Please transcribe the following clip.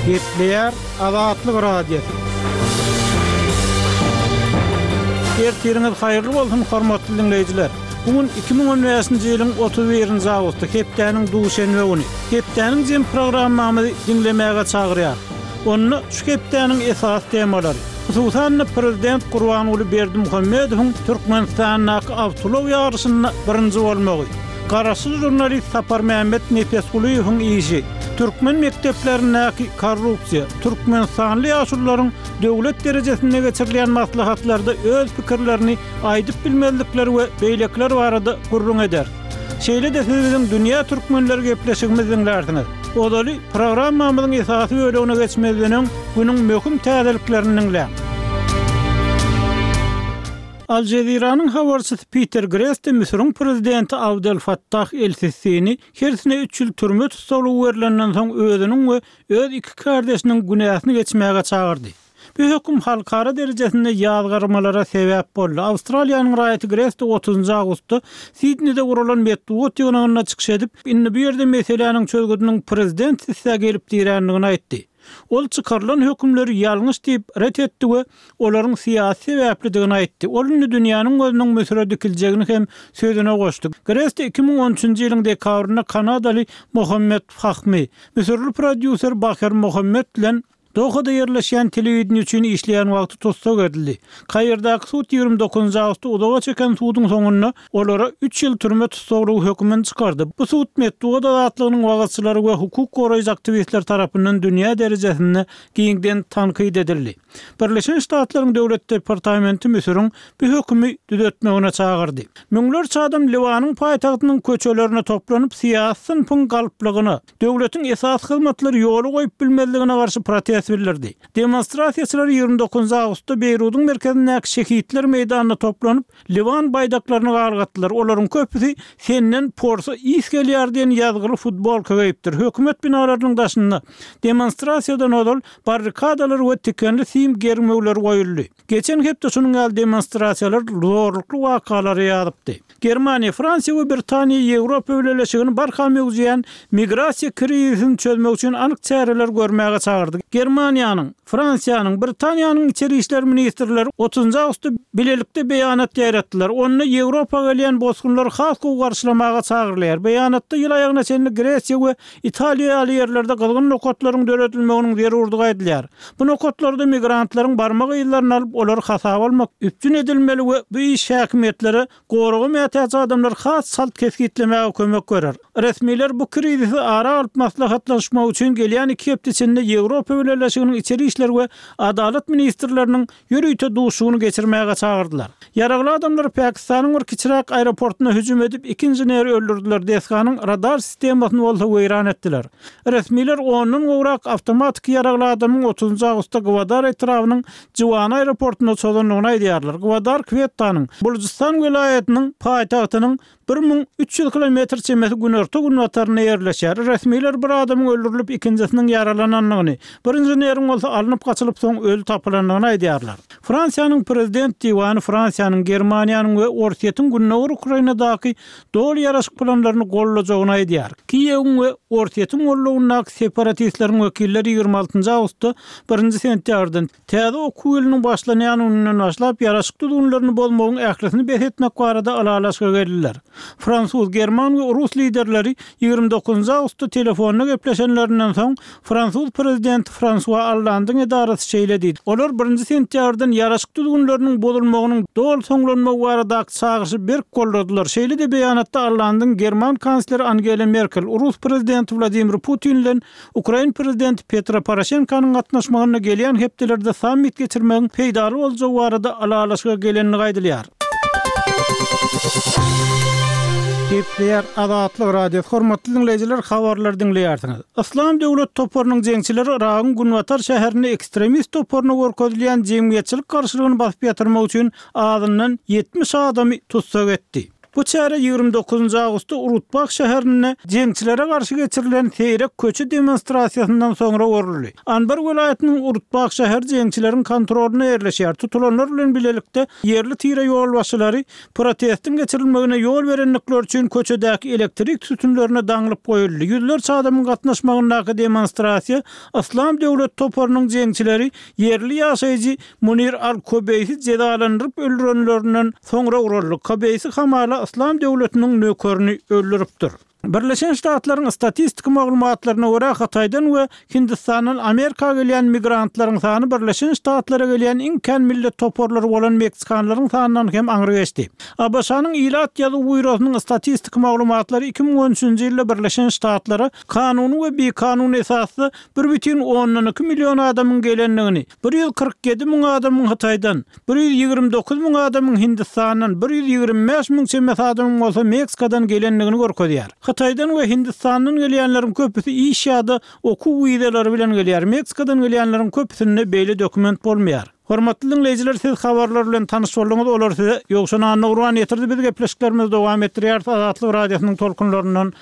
Gepleýär Azatlyk Radiosy. Ertiriňiz haýyrly bolsun, hormatly diňleýjiler! Bu gün 2015-nji ýylyň 31-nji awgusty, hepdäniň duşenbe güni. Hepdäniň jem programmamyzy diňlemäge çagyrýarys. Onda şu hepdäniň esasy temalary, hususan-da, prezident Gurbanguly Berdimuhamedowyň Türkmenistandaky awtoulag ýaryşynda birinji bolmagy, garaşsyz žurnalist Saparmämmet Nepesgulyýewiň işi, türkmen mekdeplerindäki korrupsiýa, türkmenistanly ýaşulularyň döwlet derejesinde geçirilýän maslahatlarda öz pikirlerini aýdyp bilmezlikleri we beýlekiler barada gürrüň ederis. Şeýle-de siz biziň Dünýä türkmenleri gepleşigimizi diňlärsiňiz. Ozaly programmamyzyň esasy bölegine geçmezden öň günüň möhüm täzeliklerini diňläň. Al Jeziranyň habarçysy Piter Greste Müsüriň prezidenti Abdel Fattah el-Sissini hersine üç ýyl türme tussaglygy berlenden soň özüniň we öz iki kärdeşiniň günäsini geçmäge çagyrdy. Bu höküm halkara derejesinde ýazgarmalara sebäp boldy. Awstraliýanyň raýaty Greste otuzynjy awgustda Sidnide guralan metbugat ýygnagynda çykyş edip, indi bu ýerde meseläniň çözgüdiniň prezident Sisä gelip dirändigini aýtdy. Ol çykarylan hökümleri ýalňyş diýip ret etdi we olaryň syýasy sebäplidigini aýtdy. Ol indi dünýäniň gözüniň Müsüre dikiljegini hem sözüne goşdy. Greste 2013 nji ýylyň dekabrynda kanadaly Mohammed Fahmy, müsürli prodýuser Baher Mohammed bilen Dohada ýerleşýän telewideniýe üçin işleýän wagty tussag edildi. Kairdaky sud 29 awgustda uzaga çeken suduň soňunda olara üç ýyl türme tussaglygy hökümini çykardy. Bu sud metbugat azatlygynyň wagyzçylary we hukuk goraýjy aktiwistler tarapyndan dünýä derejesinde giňden tankyt edildi. Birleşen Ştatlaryň Döwlet departamenti Müsüriň bu hökümi düzetmegine çagyrdy. Müňlerçe adam Liwanyň paýtagtynyň köçelerine toplanyp, syýasy synpyň galplygyna, döwletiň esasy hyzmatlary ýola goýup bilmezligine garşy protest bildirdi. Demonstrasiýaçylar 29 awgustda Beýrudyň merkezindäki Şehitler meýdanynda toplanyp, liwan baýdaklaryny galgatdylar. Olaryň köpüsi Senden porsa ys gelýär diýen ýazgyly futbolka geýipdir. Hökümet binalarynyň daşynda demonstrasiýadan ozal barrikadalar we tikenli sim germewleri goýuldy. Geçen hepde şunuň ýaly demonstrasiýalar zorlukly wakalara ýazypdy. Germaniýa, Fransiýa we Britaniýa Ýewropa Bileleşigini barha möwjeýän migrasiýa krizisini çözmek üçin anyk çäreler görmäge çagyrdy. Germaniýanyň, Fransiýanyň, Britaniýanyň içeri işler ministrleri otuzynjy awgustda bilelikde beýanat ýaýratdylar. Onda Ýewropa gelýän bosgunlary has gowy garşylamaga çagyrylýar. Beýanatda ýyl aýagyna çenli Gresiýa we Italiýa ýaly ýerlerde gyzgyn nokatlaryň döredilmeginiň zerurdygy aýdylýar. Bu nokatlarda migrantlaryň barmak yzlaryny alyp, olary hasaba almak üpjün edilmeli we bu iş häkimiýetlere goraga mätäç adamlary has çalt kesgitlemäge kömek berer. Resmiler bu krizisi ara alyp maslahatlaşmak üçin gelýän iki hepde içinde Ýewropa Bileleşiginiň içeri işler we adalat ministrleriniň ýörite duşuşygyny geçirmäge çagyrdylar. Ýaragly adamlar Pakistanyň bir kiçiräk aeroportuna hüjüm edip, iki inženeri öldürdiler, desganyň radar sistemasyny bolsa weýran etdiler. Resmiler ondan gowrak awtomatiki ýaragly adamyň otuzynjy awgustda Gwadar etrabynyň Jiwana aeroportunda çozandygyny aýdýarlar. Gwadar Kwettanyň, Bulujystan welaýatynyň paýtagtynyň 1300 kilometr çemesi günorta-günbatarynda ýerleşýär. Resmiler bir adamyň öldürilip, ikinjisiniň ýaralanandygyny, bir inženeriň bolsa alnyp gaçylyp soň öli tapylandygyny aýdýarlar. Fransiýanyň Prezident diwany Fransiýanyň, Germaniýanyň we Orsýetiň gündogar Ukrainadaky doly ýaraşyk planlaryny goldajagyny aýdýar. Kiýewiň we Orsýetiň goldawyndaky separatistleriň wekilleri 26 awgustda birinji sentýabrdan Täze okuw ýylynyň başlanýan gününden başlap ýaraşyk düzgünlerini bozmagyň ählisini bes etmek barada ylalaşyga geldiler. Fransuz, german we rus liderleri 29 awgustda telefonda gepleşenlerinden soň, fransuz prezidenti Fransua Ollandyň edarasy şeýle diýdi, Olar birinji sentýabrdan ýaraşyk düzgünleriniň bozulmagynyň doly soňlanmagy baradaky çagyryşy berk goldadylar. Şeýle-de beýanatda Ollandyň german kansleri Angela Merkel, rus prezidenti Wladimir Putin bilen Ukrain prezidenti Petro Poroşenkonyň gatnaşmagynda gelýän hepdelerde sammit geçirmegiň peýdaly boljagy barada ylalaşyga gelendigi aýdylýar. Gepleýär Azatlyk Radiosy, hormatly diňleýjiler, habarlary diňleýärsiňiz. Yslam döwlet toparynyň jeňçileri Yragyň günbatar şäherinde ekstremist toparyna görkezilýän jemgyýetçilik garşylygyny basyp ýatyrmak üçin azyndan 70 adamy tussag etdi. Bu çäre 29 awgustda Urutbah şäherinde jeňçilere garşy geçirilen seýrek köçe demonstrasiýasyndan soňra guruldy. Anbar welaýatynyň Urutbah şäheri jeňçileriň kontrolynda ýerleşýär. Tutulanlar bilen bilelikde ýerli tire ýolbaşçylary protestiň geçirilmegine ýol berendikleri üçin köçedäki elektrik sütünlerine daňlyp goýuldy. Ýüzlerçe adamyň gatnaşmagyndaky demonstrasiýa Yslam döwleti toparynyň jeňçileri ýerli ýaşaýjy Munir al-Kobeýsi jezalandyryp öldürenlerinden soňra guraldy. Kobeýsi hamala Yslam döwletiniň nökerini öldüripdir. Birleşen Ştatlaryň statistiki maglumatlaryna görä, Hytaýdan we Hindistandan Amerika gelýän migrantlaryň sany Birleşen Ştatlara gelýän iň kän millet toparlary bolan meksikanlaryň sanyndan hem aňry geçdi. ABŞ-nyň Ilat ýazuw býurosynyň statistiki maglumatlary 2013-nji ýylda Birleşen Ştatlara kanuny we bikanun esasda 1,2 million adamyň gelendigini, 147 müň adamyň Hytaýdan, 129 müň adamyň Hindistandan, 125 müň çemesi adamyň bolsa Meksikadan gelendigini görkezýär. Hytaýdan we Hindistandan gelýänleriň köpüsi iş ýa-da okuw wizalary bilen gelýär, Meksikadan gelýänleriň köpüsinde beýle dokument bolmaýar. Hormatly diňleýjiler siz habarlar bilen tanyş bolduňyz, olary size Ýowşan Annagurban ýetirdi, biz gepleşiklerimizi dowam etdirýäris Azatlyk Radiosynyň tolkunlaryndan.